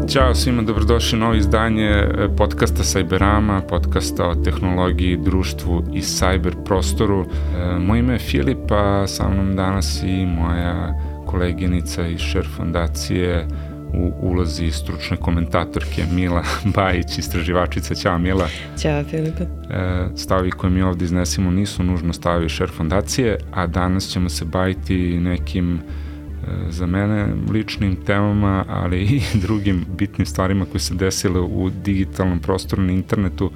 Ćao svima, dobrodošli u novo izdanje podcasta Cyberama, podcasta o tehnologiji, društvu i cyber prostoru. Moje ime je Filip, a sa mnom danas i moja koleginica iz Share fondacije u ulozi stručne komentatorke Mila Bajić, istraživačica. Ćao Mila. Ćao Filipe. Stavovi koje mi ovdje iznesimo nisu nužno stavovi Share fondacije, a danas ćemo se baviti nekim za mene ličnim temama, ali i drugim bitnim stvarima koje se desile u digitalnom prostoru na internetu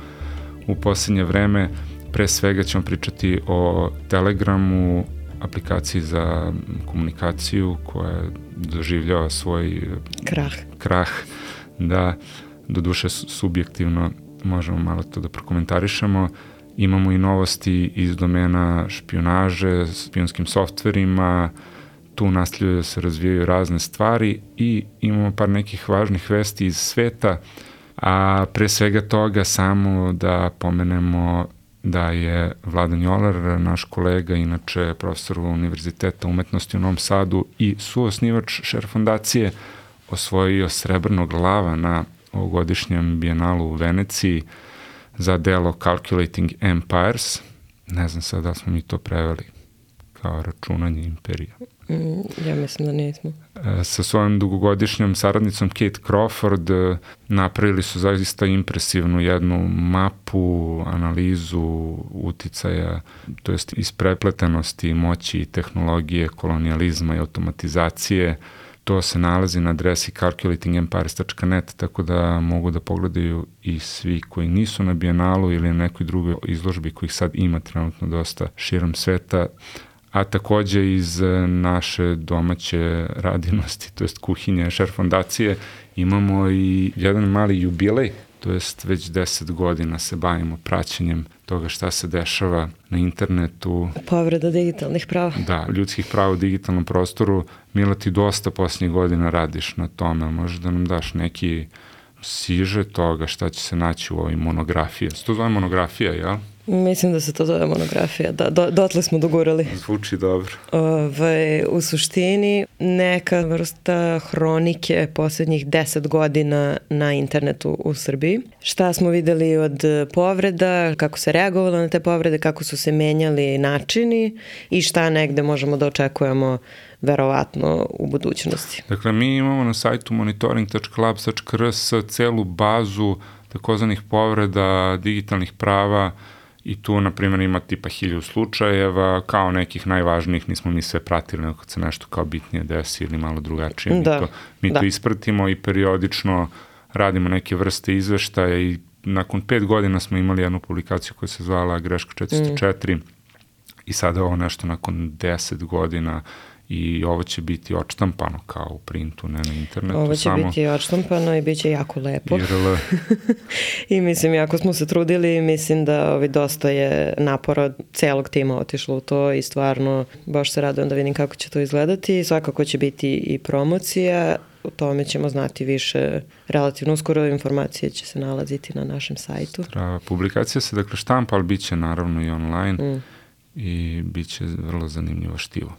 u posljednje vreme. Pre svega ćemo pričati o Telegramu, aplikaciji za komunikaciju koja doživljava svoj krah. Da, doduše subjektivno možemo malo to da prokomentarišemo. Imamo i novosti iz domena špijunaže, špijunskim softverima, tu nastavljaju da se razvijaju razne stvari i imamo par nekih važnih vesti iz sveta, a pre svega toga samo da pomenemo da je Vladan Joler, naš kolega, inače profesor Univerziteta umetnosti u Novom Sadu i suosnivač Share fondacije, osvojio srebrnog lava na ovogodišnjem bijenalu u Veneciji za delo Calculating Empires. Ne znam sad da smo mi to preveli kao računanje imperija. Ja mislim da nismo. Sa svojom dugogodišnjom saradnicom Kate Crawford napravili su zaista impresivnu jednu mapu, analizu uticaja, to jest isprepletenosti moći tehnologije, kolonijalizma i automatizacije. To se nalazi na adresi calculatingempires.net, tako da mogu da pogledaju i svi koji nisu na bijenalu ili na nekoj drugoj izložbi kojih sad ima trenutno dosta širom sveta. A takođe iz naše domaće radinosti, to jest kuhinje Share fondacije, imamo i jedan mali jubilej, to jest već 10 godina se bavimo praćenjem toga šta se dešava na internetu. Povreda digitalnih prava. Da, ljudskih prava u digitalnom prostoru. Mila, ti dosta posljednjih godina radiš na tome, možeš da nam daš neki siže toga šta će se naći u ovoj monografiji. Se to zove monografija, jel? Mislim da se to zove monografija, da, dotle smo dogurali. Zvuči dobro. U suštini neka vrsta hronike posljednjih 10 godina na internetu u Srbiji. Šta smo videli od povreda, kako se reagovalo na te povrede, kako su se menjali načini i šta negde možemo da očekujemo verovatno u budućnosti. Dakle, mi imamo na sajtu monitoring.labs.rs celu bazu takozvanih povreda digitalnih prava i tu, na primjer, ima tipa 1000 slučajeva, kao nekih najvažnijih, nismo mi sve pratili, nego kad se nešto kao bitnije desi ili malo drugačije. Mi to ispratimo i periodično radimo neke vrste izveštaja i nakon 5 godina smo imali jednu publikaciju koja se zvala Greška 404 i sada ovo nešto nakon 10 godina i ovo će biti odštampano kao u printu, ne na internetu. Ovo će biti odštampano i bit će jako lepo. I mislim, jako smo se trudili, mislim da dosta je napora celog tima otišlo u to i stvarno baš se radujem da vidim kako će to izgledati. Svakako će biti i promocija, o tome ćemo znati više relativno uskoro, informacije će se nalaziti na našem sajtu. Publikacija se dakle štampa, ali bit će naravno i online i bit će vrlo zanimljivo štivo.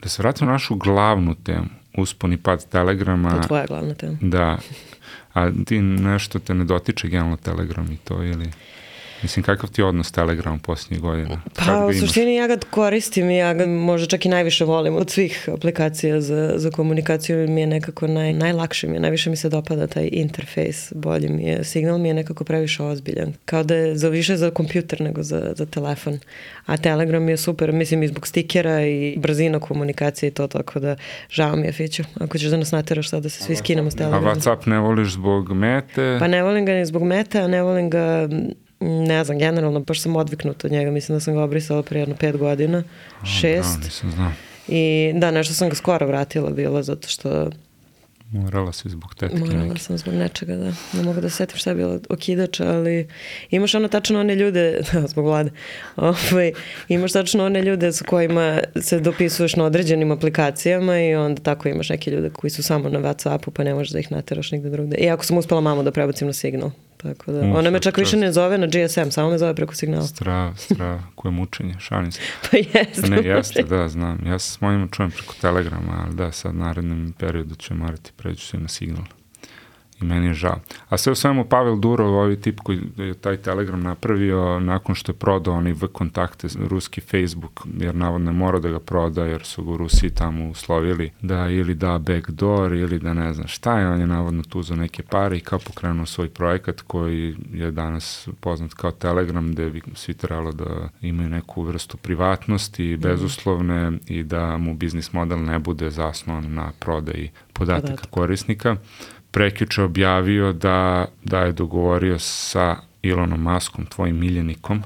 Da se vratimo na našu glavnu temu, uspon i pad Telegrama. To je tvoja glavna tema. Da. A ti nešto te ne dotiče generalno Telegram i to ili... Mislim, kakav ti je odnos Telegram posljednjih godina? Pa, u suštini ja ga koristim i ja ga možda čak i najviše volim od svih aplikacija za komunikaciju. Mi je nekako najlakše mi je, najviše mi se dopada taj interfejs, bolje mi je. Signal mi je nekako previše ozbiljan. Kao da je više za kompjuter nego za telefon. A Telegram je super, mislim, i zbog stikera i brzina komunikacije i to, tako da žao mi je, Fiću. Ako ćeš da nas nateraš sad da se svi skinemo s Telegrama. A WhatsApp ne voliš zbog mete? Pa ne volim ga ni zbog mete, a ne volim ga... Ne znam, generalno, baš sam odviknuta od njega. Mislim da sam ga obrisala prije jedno 5 godina, 6. Da, nisam znao. I da, nešto sam ga skoro vratila bilo, zato što... Morala si zbog tetke. Morala sam zbog nečega, da. Ne mogu da se setim šta je bilo okidač, ali imaš tačno one ljude, zbog Vlade, imaš tačno one ljude s kojima se dopisuješ na određenim aplikacijama i onda tako imaš neke ljude koji su samo na WhatsAppu, pa ne možeš da ih nateraš nigde drugde. Iako sam uspela mamu da prebacim na Signal. Tako da, ona me čak više ne zove na GSM, samo me zove preko Signala. Strava, koje mučenje, šalim se. Pa jeste. Ne, jeste, da, znam. Ja se s mojima čujem preko Telegrama, ali da, sad narednom periodu ću morati preći se na Signal. I meni je žao. A sve u svemu Pavel Durov, ovaj tip koji je taj Telegram napravio nakon što je prodao oni V-kontakte, ruski Facebook, jer navodno mora da ga proda, jer su ga u Rusiji tamo uslovili da ili da backdoor ili da ne znam šta je, on je navodno tu za neke pare i kao pokrenuo svoj projekat koji je danas poznat kao Telegram, gde bi svi trebalo da imaju neku vrstu privatnosti, bezuslovne i da mu biznis model ne bude zasnovan na prodaji podataka korisnika. Prekjuče objavio da je dogovorio sa Elonom Muskom, tvojim miljenikom,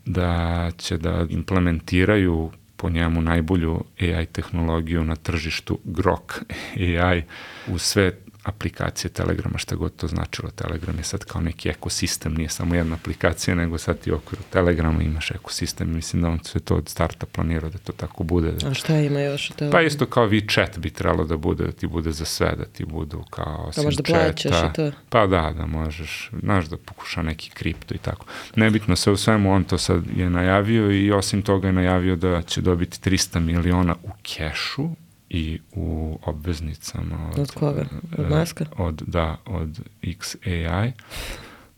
da će da implementiraju po njemu najbolju AI tehnologiju na tržištu Grok AI u sve aplikacije Telegrama, šta god to značilo. Telegram je sad kao neki ekosistem, nije samo jedna aplikacija, nego sad ti u okviru Telegrama imaš ekosistem. Mislim da on sve to od starta planirao da to tako bude. A šta ima još? Pa isto kao WeChat bi trebalo da bude, da ti bude za sve, da ti budu kao osim možda chata. Plaćaš i to. Pa da možeš, znaš da pokuša neki kripto i tako. Nebitno, sve u svemu on to sad je najavio i osim toga je najavio da će dobiti 300 miliona u kešu i u obveznicama od koga? Od Muska? Od XAI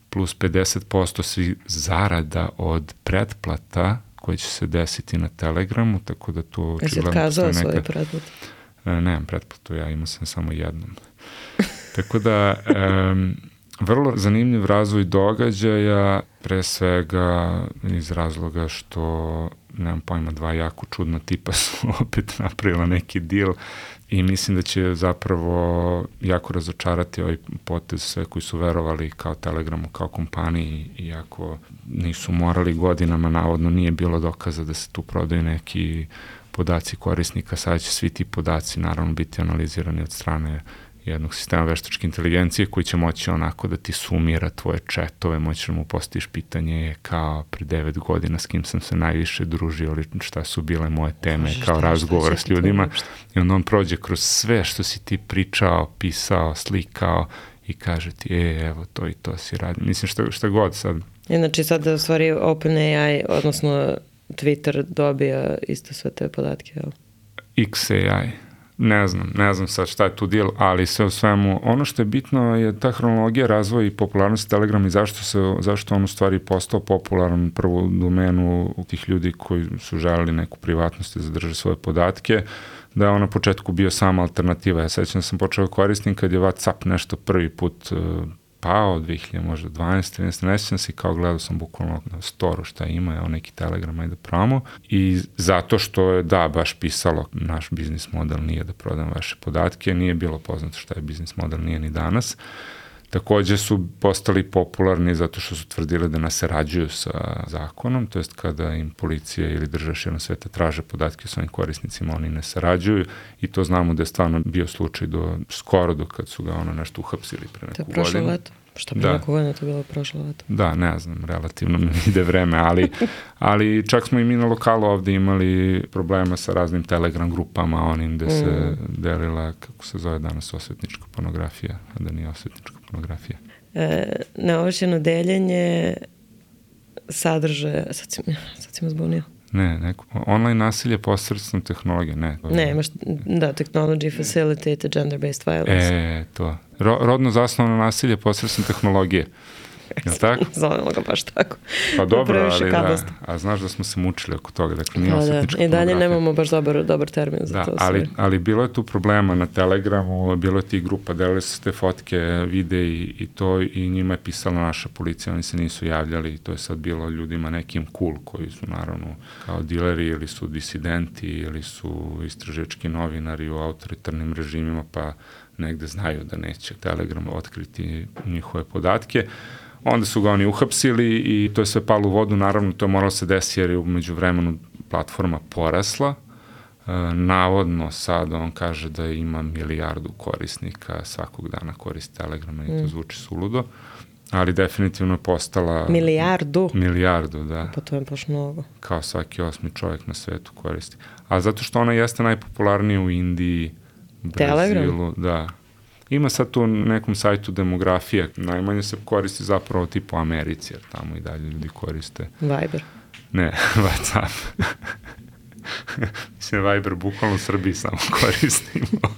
plus 50% svih zarada od pretplata koje će se desiti na Telegramu, tako da to jesi otkazao svoje pretplate? Nemam pretplatu, ja imao sam samo jednom. Tako da vrlo zanimljiv razvoj događaja, pre svega iz razloga što nemam pojma, dva jako čudna tipa su opet napravila neki deal i mislim da će zapravo jako razočarati ovaj potez sve koji su verovali kao Telegramu, kao kompaniji, iako nisu morali godinama, navodno nije bilo dokaza da se tu prodaju neki podaci korisnika, sad će svi ti podaci naravno biti analizirani od strane jednog sistema veštačke inteligencije koji će moći onako da ti sumira tvoje chatove, moći da mu postaviš pitanje kao pre 9 godina s kim sam se najviše družio ili šta su bile moje teme kao razgovor s ljudima i onda on prođe kroz sve što si ti pričao, pisao, slikao i kaže ti, evo to i to si radi. Mislim šta god sad. Znači sad u stvari OpenAI, odnosno Twitter dobija isto sve te podatke, jel? XAI. Ne znam sad šta je tu deal, ali sve u svemu, ono što je bitno je ta hronologija razvoja i popularnosti Telegrama i zašto on u stvari postao popularan prvo u domenu tih ljudi koji su želeli neku privatnost i zadrže svoje podatke, da je on na početku bio sama alternativa. Ja sećam da sam počeo koristim kad je WhatsApp nešto prvi put pao, 2000 možda 12, ne sjećam se, kao gledao sam bukvalno na storu šta ima, evo neki Telegram, ajde pravimo. I zato što je, baš pisalo, naš biznis model nije da prodam vaše podatke, nije bilo poznato šta je biznis model, nije ni danas. Takođe su postali popularni zato što su tvrdili da nas sarađuju sa zakonom, to jest kada im policija ili država širom sveta traže podatke o svojim korisnicima, oni ne sarađuju i to znamo da je stvarno bio slučaj skoro do kad su ga nešto uhapsili pre neku godinu. To je prošlo leto. Šta bi neku godinu to bilo prošlo leto? Da, ne znam, relativno mi ide vreme, ali čak smo i mi na lokalu ovde imali problema sa raznim Telegram grupama, onim gde se delila, kako se zove danas, osvetnička pornografija, a da nije osvetnička pornografija. Neovlašćeno deljenje sadržaja, sad si me zbunio. Ne, online nasilje posredstvom tehnologije, ne. Imaš, technology facilitated gender-based violence. To. Rodno zasnovano nasilje posredstvom tehnologije. Je tako? Zovemo ga baš tako. Pa dobro, ali a znaš da smo se mučili oko toga, dakle nije osvetnička pornografija. I dalje nemamo baš dobar termin za to. Ali bilo je tu problema na Telegramu, bilo je tih grupa, delili su te fotke, videi i to i njima je pisala naša policija, oni se nisu javljali i to je sad bilo ljudima nekim cool koji su naravno kao dileri ili su disidenti ili su istraživački novinari u autoritarnim režimima pa negde znaju da neće Telegram otkriti njihove podatke. Onda su ga oni uhapsili i to je sve palo u vodu, naravno to je moralo se desiti jer je umeđu vremenu platforma porasla. Navodno sad on kaže da ima 1 milijardu korisnika, svakog dana koristi Telegrama i to zvuči suludo, ali definitivno je postala... Milijardu? Milijardu, da. Pa to je baš mnogo. Kao svaki 8. čovjek na svetu koristi. A zato što ona jeste najpopularnija u Indiji, Brazilu, Telegram? Da. Ima sad tu nekom sajtu demografija, najmanje se koristi zapravo tipu Americi, jer tamo i dalje ljudi koriste. Viber? Ne, WhatsApp. Mislim, Viber bukvalno u Srbiji samo koristimo.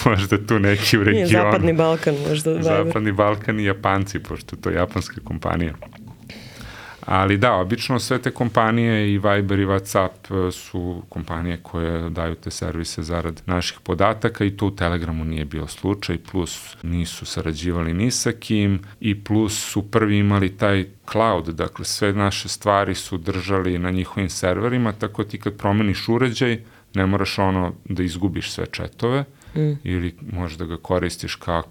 Možda tu neki u regionu. Zapadni Balkan možda. Zapadni Balkan i Japanci, pošto to je japanska kompanija. Ali da, obično sve te kompanije i Viber i WhatsApp su kompanije koje daju te servise zarad naših podataka i to u Telegramu nije bio slučaj, plus nisu sarađivali ni sa kim i plus su prvi imali taj cloud, dakle sve naše stvari su držali na njihovim serverima, tako ti kad promeniš uređaj, ne moraš da izgubiš sve četove, ili možeš da ga koristiš kao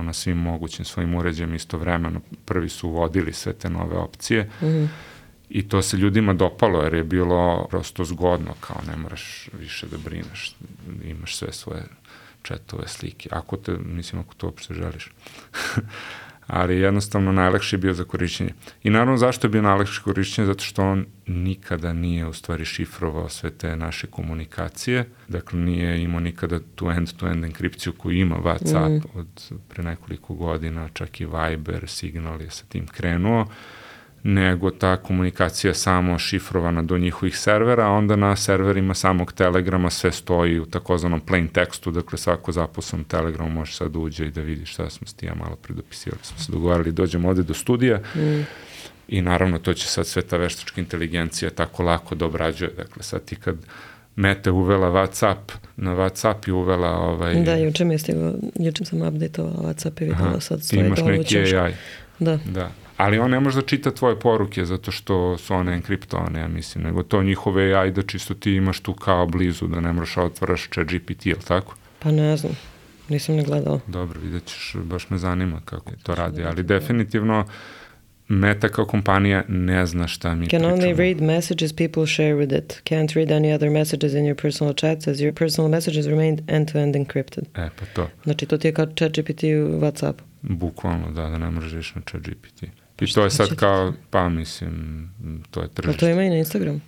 na svim mogućim svojim uređajima istovremeno. Prvi su uvodili sve te nove opcije i to se ljudima dopalo jer je bilo prosto zgodno, kao ne moraš više da brineš, imaš sve svoje chatove, slike, ako to uopšte želiš. Ali jednostavno najlakši je bio za korišćenje. I naravno zašto je bio najlakši korišćenje? Zato što on nikada nije u stvari šifrovao sve te naše komunikacije, dakle nije imao nikada tu end-to-end enkripciju koju ima WhatsApp od pre nekoliko godina, čak i Viber, Signal je sa tim krenuo, nego ta komunikacija samo šifrovana do njihovih servera, a onda na serverima samog Telegrama sve stoji u takozvanom plain tekstu, dakle svako zaposlen Telegramu može sad uđe i da vidi šta smo s ti ja malo predopisivali. Smo se dogovarali, dođemo ovde do studija i naravno to će sad sve ta veštačka inteligencija tako lako da obrađuje. Dakle sad ti kad Meta uvela WhatsApp, na WhatsApp je uvela Da, juče sam updateovala WhatsApp i videla sad stoji imaš neki AI. Da. Ali on ne može da čita tvoje poruke zato što su one enkriptovane, ja mislim, nego to njihove AI da čisto ti imaš tu kao blizu, da ne moraš otvaraš ChatGPT, ili tako? Pa ne znam, nisam ne gledala. Dobro, vidjet ćeš, baš me zanima kako to radi, ali definitivno Meta kao kompanija ne zna šta mi pričamo. Can only read messages people share with it. Can't read any other messages in your personal chats as your personal messages remain end-to-end encrypted. Pa to. Znači to ti je kao ChatGPT u WhatsApp. Bukvalno, da ne možeš reći na ChatGPT. I to je sad kao, pa mislim, to je tržište. Pa to ima i na Instagram?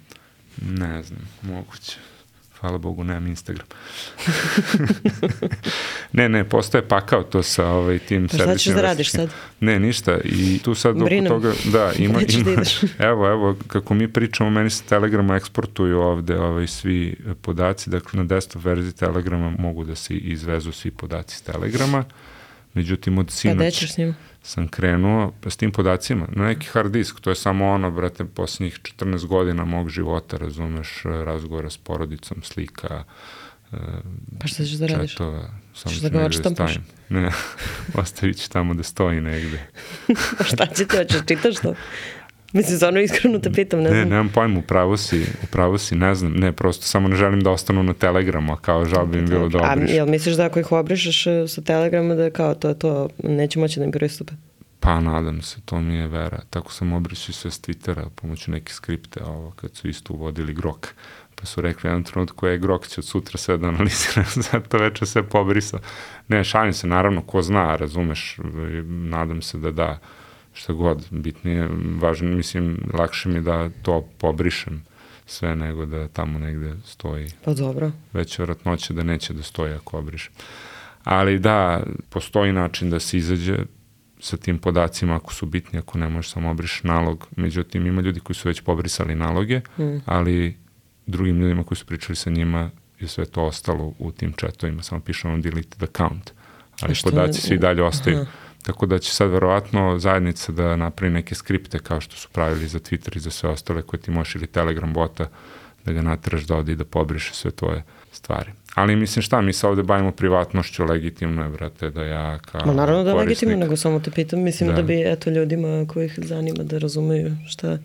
Ne znam, moguće. Hvala Bogu, nemam Instagram. Ne, postaje pakao to sa tim servisima. Šta ćeš da radiš sad? Ne, ništa. I tu sad oko toga, da, ima, evo, kako mi pričamo, meni se Telegrama eksportuju ovde svi podaci, dakle na desktop verziji Telegrama mogu da se izvezu svi podaci s Telegrama. Međutim, od sinoć sam krenuo s tim podacima na neki hard disk, to je samo brate, posljednjih 14 godina mog života, razumeš, razgovora s porodicom, slika, pa šta ćeš da radiš? Četova, samo ćeš da ga odštampaš? Ne, ostavit ću tamo da stoji negde. Pa šta će ti, hoćeš čitaš to? Mislim, stvarno iskreno te pitam, ne znam. Ne, nemam pojma, upravo si, ne znam, ne, prosto samo ne želim da ostanu na Telegramu, a kao žal bi im bilo da obriš. A jel misliš da ako ih obrišeš sa Telegrama da kao to neće moći da im pristupe? Pa nadam se, to mi je vera. Tako sam obrišao sve s Twittera pomoću neke skripte, kad su isto uvodili Grok. Pa su rekli jednom trenutku Grok će od sutra sve da analizira, zato večer sve pobrisao. Ne, šalim se, naravno, ko zna, razumeš, nadam se da šta god, bitnije, važno, mislim, lakše mi da to pobrišem sve nego da tamo negde stoji. Pa dobro. Veća vjerojatnoća da neće da stoji ako obrišem. Ali da, postoji način da se izađe sa tim podacima ako su bitni, ako ne možeš samo obriš nalog. Međutim, ima ljudi koji su već pobrisali naloge, ali drugim ljudima koji su pričali sa njima je sve to ostalo u tim chatovima, samo piše deleted account, ali podaci svi dalje ostaju. Tako da će sad verovatno zajednica da napravi neke skripte kao što su pravili za Twitter i za sve ostale koje ti možeš ili Telegram bota da ga nateraš da ode i da pobriše sve tvoje stvari. Ali mislim šta, mi se ovde bavimo privatnošću, legitimno je, brate, da ja kao korisnik... Naravno da je legitimno, nego samo te pitam, mislim da bi ljudima kojih zanima da razumeju šta,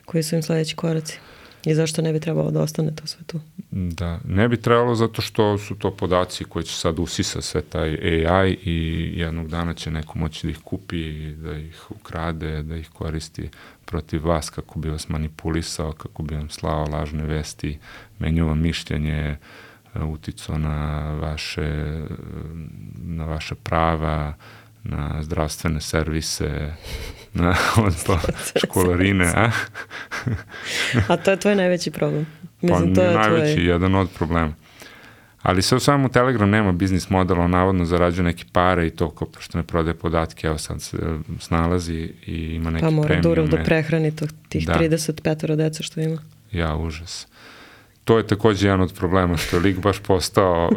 koji su im sledeći koraci. I zašto ne bi trebalo da ostane to sve tu? Da, ne bi trebalo zato što su to podaci koji će sad usisa sve taj AI i jednog dana će neko moći da ih kupi, da ih ukrade, da ih koristi protiv vas kako bi vas manipulisao, kako bi vam slao lažne vesti, menjao vam mišljenje, uticao na vaše prava, na zdravstvene servise, na školarine, a? A to je tvoj najveći problem. Mislim, to je najveći, jedan od problema. Ali sve u samom Telegram nema biznis modela, on navodno zarađuje neke pare i to kao što ne prodaje podatke, evo sad se snalazi i ima neke premijume. Pa mora Durov da prehrani tih 35 deca što ima. Ja, užas. To je takođe jedan od problema, što je lik baš postao,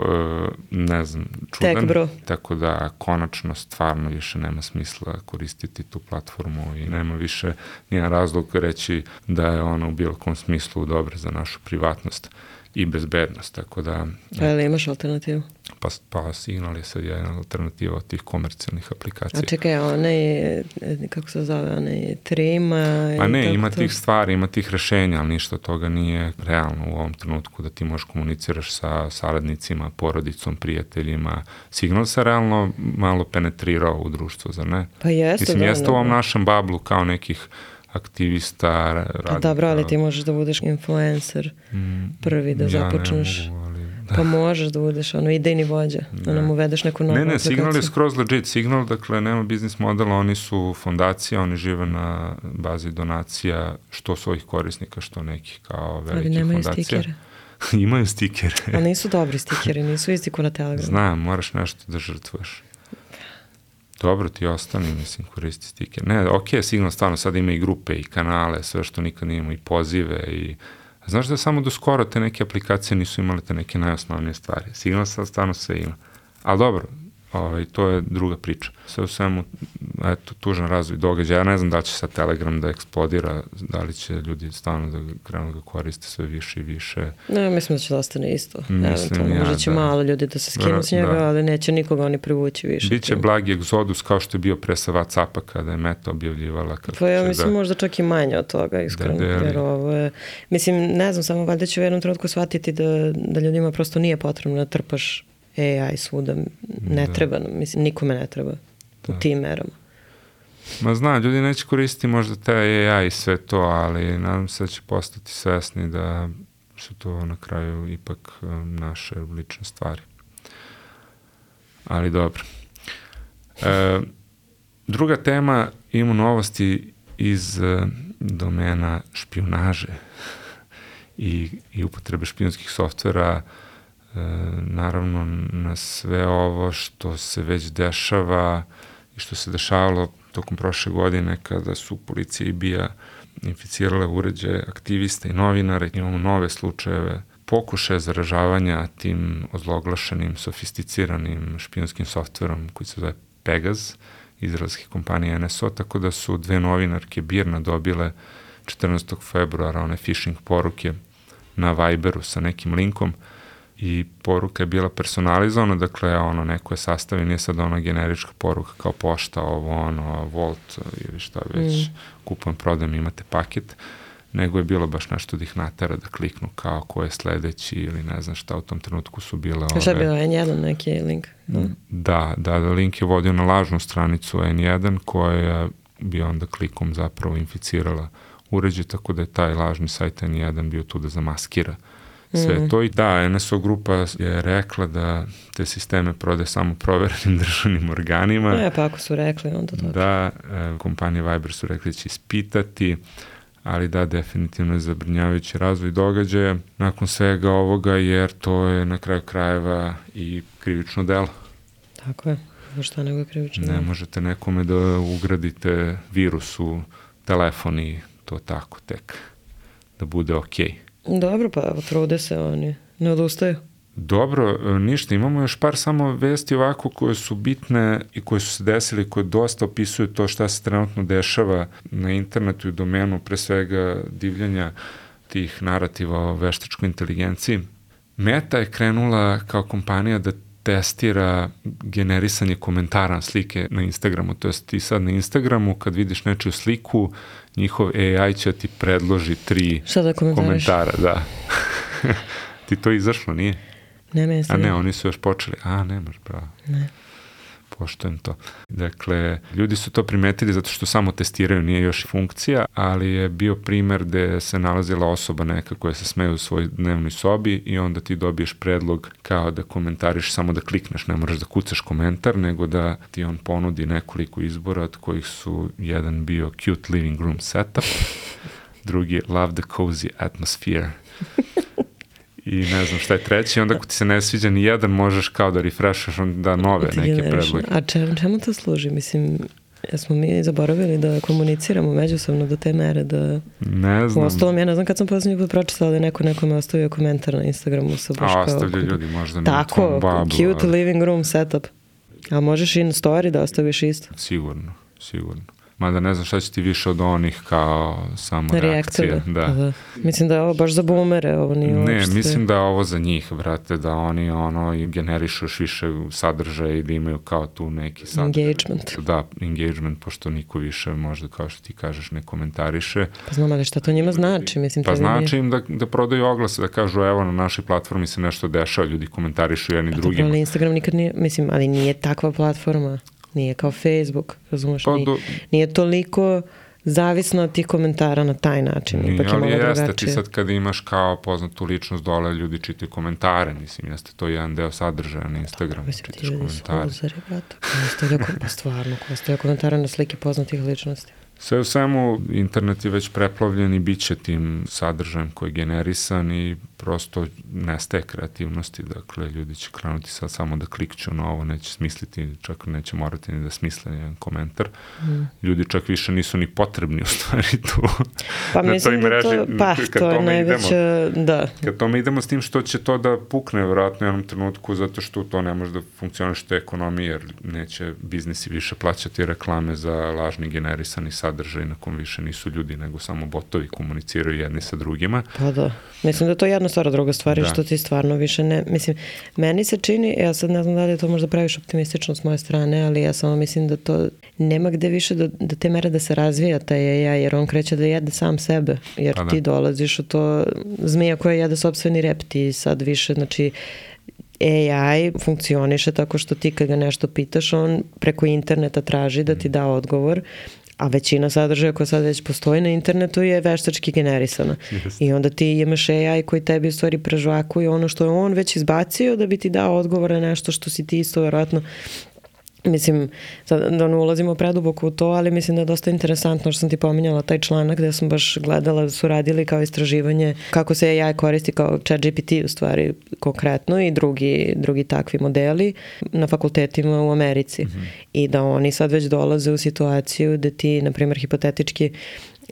ne znam, čudan. Tek, bro. Tako da, konačno, stvarno više nema smisla koristiti tu platformu i nema više nijedan razlog reći da je ona u bilo kom smislu dobra za našu privatnost i bezbednost, tako da... Ali imaš alternativu? Pa Signal je sad jedna alternativa od tih komercijalnih aplikacija. A čekaj, onaj, kako se zove, onaj Trima? Pa ne, ima tih stvari, ima tih rešenja, ali ništa od toga nije realno u ovom trenutku da ti možeš komuniciraš sa saradnicima, porodicom, prijateljima. Signal se realno malo penetrirao u društvo, zar ne? Pa jeste, mislim, jeste u ovom našem bablu kao nekih aktivista, radnika. Dobro, ali ti možeš da budeš influencer prvi, da započneš. Ja ne mogu, ali... Pa možeš da budeš idejni vođa, da nam uvedeš neku novu aplikaciju. Ne, Signal je skroz legit. Signal, dakle, nema biznis modela, oni su fondacija, oni žive na bazi donacija, što svojih korisnika, što nekih kao velikih fondacija. Ali nemaju stikere. Imaju stikere. Ali nisu dobri stikeri, nisu isti ko na Telegramu. Znam, moraš nešto da žrtvuješ. Dobro, ti ostani, mislim, koristi stiker. Ne, okej, Signal stvarno sad ima i grupe i kanale, sve što nikad nije imao, i pozive i... Znaš da samo do skoro te neke aplikacije nisu imale te neke najosnovnije stvari. Signal sad stvarno sve ima. Ali dobro, to je druga priča. Sve u svemu, eto, tužan razvoj događaja. Ja ne znam da će sad Telegram da eksplodira, da li će ljudi stvarno da krenu da koriste sve više i više. Ne, mislim da će da ostane isto. Možda će malo ljudi da se skinu s njega, ali neće nikoga oni privući više. Biće blagi egzodus kao što je bio pre sa WhatsAppa kada je Meta objavljivala. Pa ja mislim možda čak i manje od toga, iskreno. Jer ovo je, mislim, ne znam, samo valjda će u jednom trenutku shvatiti da ljudima prosto nije potrebno da trpaš AI svuda, ne treba nam, mislim, nikome ne treba u tim merama. Ma znam, ljudi neće koristiti možda te AI i sve to, ali nadam se da će postati svesni da su to na kraju ipak naše lične stvari. Ali dobro. Druga tema, imamo novosti iz domena špijunaže i upotrebe špijunskih softvera, naravno na sve ovo što se već dešava i što se dešavalo tokom prošle godine kada su policija i BIA inficirale uređaje aktivista i novinara. Imamo nove slučajeve pokušaja zaražavanja tim ozloglašenim, sofisticiranim špijunskim softverom koji se zove Pegaz, izraelske kompanije NSO, tako da su dve novinarke BIRN-a dobile 14. februara one phishing poruke na Viberu sa nekim linkom i poruka je bila personalizovana, dakle neko je sastavio, nije sad ona generička poruka kao pošta, Volt ili šta već, kupujem, prodajem, imate paket, nego je bilo baš nešto da ih natera da kliknu kao ko je sledeći ili ne znam šta, u tom trenutku su bile Šta je bilo N1 neki link? Da, link je vodio na lažnu stranicu N1 koja bi onda klikom zapravo inficirala uređaj, tako da je taj lažni sajt N1 bio tu da zamaskira sve to. I da, NSO grupa je rekla da te sisteme prodaje samo proverenim državnim organima. Pa ako su rekli, onda to. Da, kompanije Viber su rekli da će ispitati, ali da, definitivno je zabrinjavajući razvoj događaja nakon svega ovoga, jer to je na kraju krajeva i krivično delo. Tako je, šta nego je krivično delo. Ne možete nekome da ugradite virus u telefon i to tako tek da bude okej. Dobro, pa trude se oni, ne odustaju. Dobro, ništa, imamo još par samo vesti ovako koje su bitne i koje su se desili, koje dosta opisuju to šta se trenutno dešava na internetu i domenu, pre svega divljanja tih narativa o veštačkoj inteligenciji. Meta je krenula kao kompanija da testira generisanje komentara na slike na Instagramu, to jest ti sad na Instagramu kad vidiš nečiju sliku, njihov AI će ti predloži 3 komentara. Da. Ti to izašlo, nije? Ne, a ne, oni su još počeli. Nemaš, bravo. Ne. Poštujem to. Dakle, ljudi su to primetili zato što samo testiraju, nije još funkcija, ali je bio primer gde se nalazila osoba neka koja se smeje u svojoj dnevnoj sobi i onda ti dobiješ predlog kao da komentariš, samo da klikneš, ne moraš da kucaš komentar, nego da ti on ponudi nekoliko izbora, od kojih su jedan bio cute living room setup, drugi love the cozy atmosphere. I ne znam šta je treći, onda ako ti se ne sviđa ni jedan, možeš kao da refreshaš onda nove neke predloge. A čemu to služi? Mislim, Jesmo mi zaboravili da komuniciramo međusobno do te mere da... Ne znam. Uostalom, ja ne znam kad sam posljednji put pročitala da je nekome ostavio komentar na Instagramu sa baš kao... Ostavljaju ljudi možda na tako, tvom babu. cute living room setup. A možeš i na story da ostaviš isto? Sigurno. Mada ne znam šta će ti više od onih kao samo reakcije. Da. Mislim da je ovo baš za boomere. Ovo nije ne, mislim da je ovo za njih, brate, da oni generišu još više sadržaja i da imaju kao tu neki sadržaj. Engagement. Da, engagement, pošto niko više možda, kao što ti kažeš, ne komentariše. Pa znam, ali šta to njima znači? Mislim, pa znači im da prodaju oglase, da kažu evo na našoj platformi se nešto dešava, ljudi komentarišu jedni drugima. Ali Instagram nikad nije, mislim, ali nije takva platforma. Nije kao Facebook, razumeš? Nije toliko zavisno od tih komentara na taj način. Nije, ali jeste, ti sad kada imaš kao poznatu ličnost dole, ljudi čitaju komentare, mislim, jeste to jedan deo sadržaja na Instagramu, čitaš komentare. Pa stvarno, ko ostaje komentare na slike poznatih ličnosti. Sve u svemu, internet je već preplavljen i bit će tim sadržajem koji je generisan i prosto nestaje kreativnosti, dakle, ljudi će krenuti sad samo da klikću na ovo, neće smisliti, čak neće morati ni da smisle jedan komentar. Ljudi čak više nisu ni potrebni u stvari tu. Pa na mislim toj mreži, to je najveća, da. Kad tome idemo s tim što će to da pukne vjerojatno u jednom trenutku, zato što to ne može da funkcioniše ekonomije, jer neće biznisi više plaćati reklame za lažni generisani sadržaj na kom više nisu ljudi, nego samo botovi komuniciraju jedni sa drugima. Pa da. Mislim da to je jedna stvar, druga stvar je što ti stvarno više ne... Mislim, meni se čini, ja sad ne znam da li je to možda praviš optimistično s moje strane, ali ja samo mislim da to nema gde više da te mere da se razvija taj AI, jer on kreće da jede sam sebe, jer ti dolaziš u to zmija koja jede sopstveni rep, ti sad više, znači AI funkcioniše tako što ti kad ga nešto pitaš, on preko interneta traži da ti da odgovor, a većina sadržaja koja sad već postoji na internetu je veštački generisana. I onda ti imaš AI koji tebi u stvari prežvakuje ono što je on već izbacio da bi ti dao odgovor na nešto što si ti isto vjerojatno. Mislim, sad da ne ulazimo preduboko u to, ali mislim da je dosta interesantno što sam ti pominjala taj članak gde sam baš gledala da su radili kao istraživanje kako se AI koristi kao ChatGPT u stvari konkretno i drugi takvi modeli na fakultetima u Americi. I da oni sad već dolaze u situaciju da ti, na primjer, hipotetički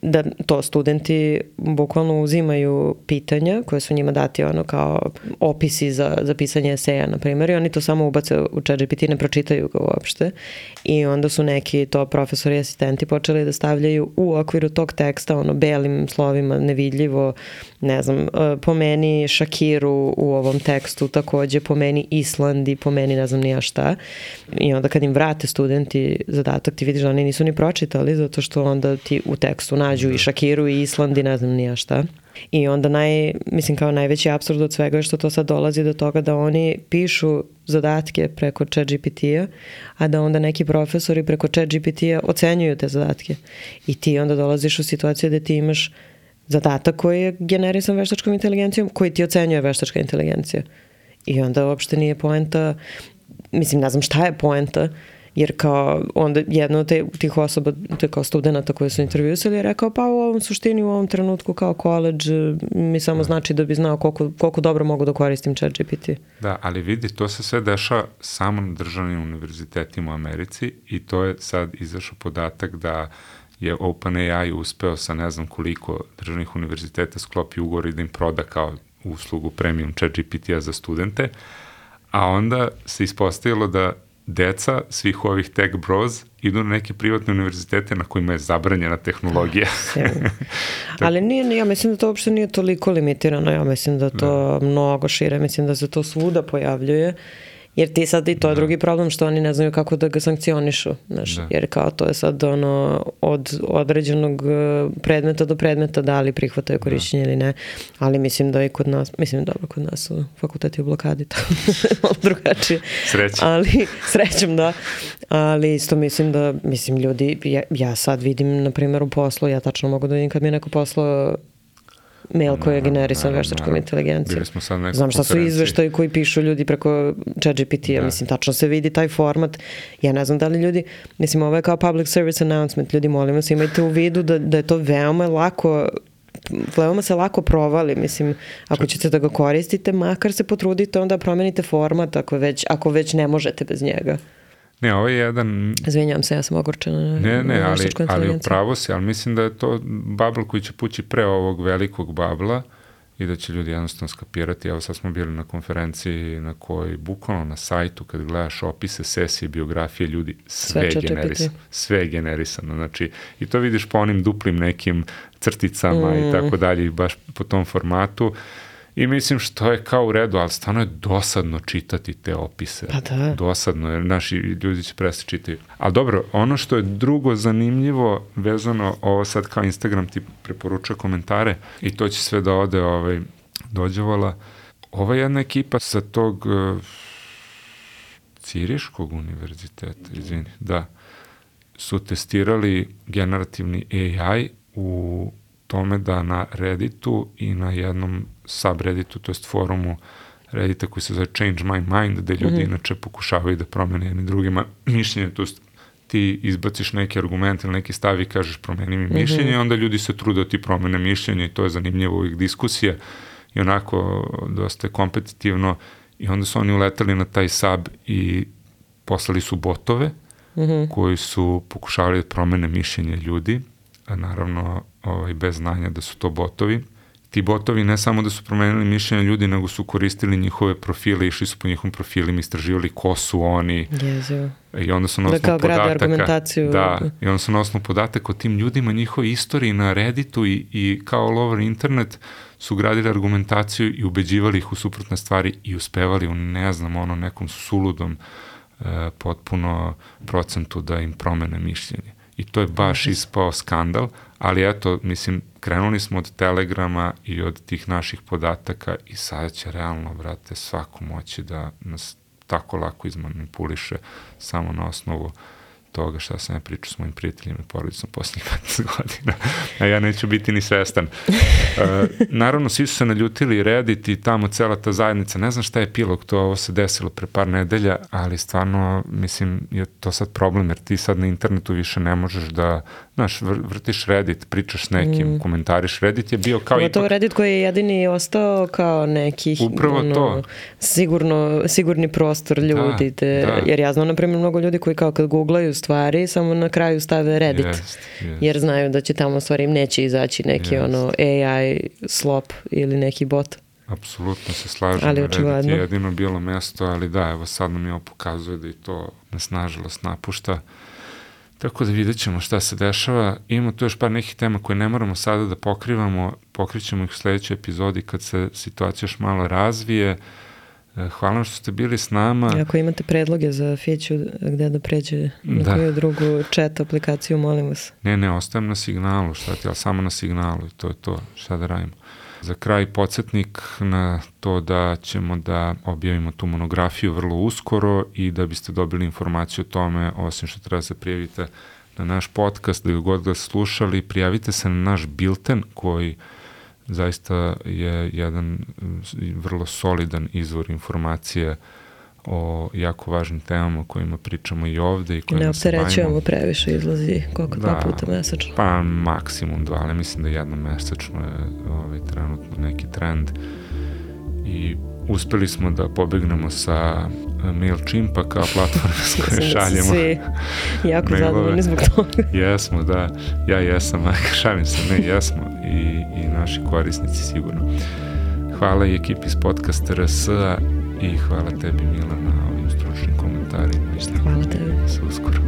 da to studenti bukvalno uzimaju pitanja koje su njima dati ono kao opisi za pisanje eseja, na primjer, i oni to samo ubace u ChatGPT, ne pročitaju ga uopšte. I onda su neki to profesori i asistenti počeli da stavljaju u okviru tog teksta ono belim slovima nevidljivo, ne znam, pomeni Shakiru u ovom tekstu, takođe pomeni Island i pomeni ne znam ni ja šta. I onda kad im vrate studenti zadatak, ti vidiš da oni nisu ni pročitali, zato što onda ti u tekstu nađu i Shakiru i Island i ne znam ni ja šta. I onda mislim kao najveći apsurd od svega je što to sad dolazi do toga da oni pišu zadatke preko ChatGPT-a, a da onda neki profesori preko ChatGPT-a ocenjuju te zadatke. I ti onda dolaziš u situaciju da ti imaš zadatak koji je generisan veštačkom inteligencijom, koji ti ocenjuje veštačka inteligencija. I onda uopšte nije poenta, mislim, ne znam šta je poenta, jer kao onda jedna od tih osoba, to je kao studenta koji su intervjusali, je rekao pa u ovom suštini, u ovom trenutku kao college mi samo znači da bi znao koliko dobro mogu da koristim ChatGPT. Da, ali vidi, to se sve dešava samo na državnim univerzitetima u Americi i to je sad izašao podatak da je OpenAI uspeo sa ne znam koliko državnih univerziteta sklopi ugovor i da im proda kao uslugu premium ChatGPT-a za studente, a onda se ispostavilo da deca svih ovih tech bros idu na neke privatne univerzitete na kojima je zabranjena tehnologija. Ali nije, ja mislim da to uopšte nije toliko limitirano, ja mislim da to mnogo šire, mislim da se to svuda pojavljuje. Jer ti sad i to je drugi problem što oni ne znaju kako da ga sankcionišu, znaš, jer kao to je sad ono od određenog predmeta do predmeta da li prihvataju korišćenje ili ne, ali mislim da i kod nas, mislim dobro kod nas su fakulteti u blokadi, to malo drugačije. Srećem. Ali, srećem da, ali isto mislim da, mislim ljudi, ja sad vidim na primjer u poslu, ja tačno mogu da vidim kad mi je neko poslao mail koji je generisan veštačkom inteligencijom. Znam šta su izveštaji koji pišu ljudi preko ChatGPT-a, mislim, tačno se vidi taj format. Ja ne znam da li ljudi, mislim, ovo je kao public service announcement, ljudi, molim vas, imajte u vidu da je to veoma se lako provali, mislim, ako ćete da ga koristite, makar se potrudite, onda promenite format ako već ne možete bez njega. Ne, ovo je jedan... Izvinjam se, ja sam ogorčena. Ali upravo si, ali mislim da je to bubble koji će pući pre ovog velikog babla i da će ljudi jednostavno skapirati. Evo sad smo bili na konferenciji na kojoj bukvalno na sajtu kad gledaš opise, sesije, biografije ljudi, sve je generisano. Znači, i to vidiš po onim duplim nekim crticama i tako dalje, i baš po tom formatu. I mislim što je kao u redu, ali stvarno je dosadno čitati te opise. Pa da. Dosadno, jer naši ljudi će prestati čitati. Ali dobro, ono što je drugo zanimljivo, vezano, ovo sad kao Instagram ti preporučuje komentare i to će sve da ode dođevala. Ova jedna ekipa sa tog Ciriškog univerziteta, su testirali generativni AI u tome da na Redditu i na jednom subredditu, to jest forumu Reddita koji se zove Change My Mind, gde ljudi inače pokušavaju da promene jedni drugima mišljenje, to jest ti izbaciš neki argument ili neki stav i kažeš promeni mi mišljenje, i onda ljudi se trude da ti promene mišljenje i to je zanimljivo uvijek diskusija i onako dosta kompetitivno, i onda su oni uletali na taj sub i poslali su botove koji su pokušavali da promene mišljenje ljudi, a naravno bez znanja da su to botovi. Ti botovi ne samo da su promenili mišljenje ljudi, nego su koristili njihove profile, išli su po njihovim profilima, istraživali ko su oni. I onda su na osnovu i onda su na osnovu podataka o tim ljudima, njihove istoriji na Redditu i kao all over internet su gradili argumentaciju i ubeđivali ih u suprotne stvari i uspevali u nekom suludom potpuno procentu da im promene mišljenje. I to je baš ispao skandal, ali eto, mislim, krenuli smo od Telegrama i od tih naših podataka i sada će realno, brate, svako moći da nas tako lako izmanipuliše samo na osnovu toga šta sam ja pričao s mojim prijateljima i porodicom posljednjih 15 godina, a ja neću biti ni svestan. Naravno, svi su se naljutili, Reddit i tamo cela ta zajednica, ne znam šta je epilog, ovo se desilo pre par nedelja, ali stvarno, mislim, je to sad problem, jer ti sad na internetu više ne možeš da, znaš, vrtiš Reddit, pričaš s nekim, komentariš, Reddit je bio kao to Reddit koji je jedini ostao kao neki sigurni prostor ljudi, jer ja znam, na primjer, mnogo ljudi koji kao kad googlaju stvari, samo na kraju stave Reddit, jer znaju da će tamo stvari im neće izaći neki AI slop ili neki bot. Apsolutno se slažem, Reddit je jedino bilo mesto, ali da, evo sad nam je ovo pokazuje da i to nas nažalost napušta. Tako da vidjet ćemo šta se dešava. Imamo tu još par nekih tema koje ne moramo sada da pokrivamo, pokrićemo ih u sljedećoj epizodi kad se situacija još malo razvije. Hvala vam što ste bili s nama. Ako imate predloge za Fiću gde da pređe na koju drugu chat aplikaciju, molim vas. Ne, ostajem na Signalu, ali samo na Signalu, to je to, šta da radimo. Za kraj podsjetnik na to da ćemo da objavimo tu monografiju vrlo uskoro i da biste dobili informaciju o tome, osim što treba se prijavite na naš podcast, da ga god ga slušali, prijavite se na naš bilten koji zaista je jedan vrlo solidan izvor informacije o jako važnim temama o kojima pričamo i ovde. Ne opterećujemo previše, izlazi koliko 2 puta mesečno? Pa maksimum 2, ali mislim da jednom mesečno je trenutno neki trend. I uspeli smo da pobegnemo sa MailChimpa kao platforme s koje šaljemo svi jako zadovoljni zbog toga. Jesmo, da. Ja jesam, šalim se, jesmo i naši korisnici sigurno. Hvala i ekipi iz podcasta RS-a i hvala tebi, Mila, na ovim stručnim komentarima. Hvala tebi. Se uskoro.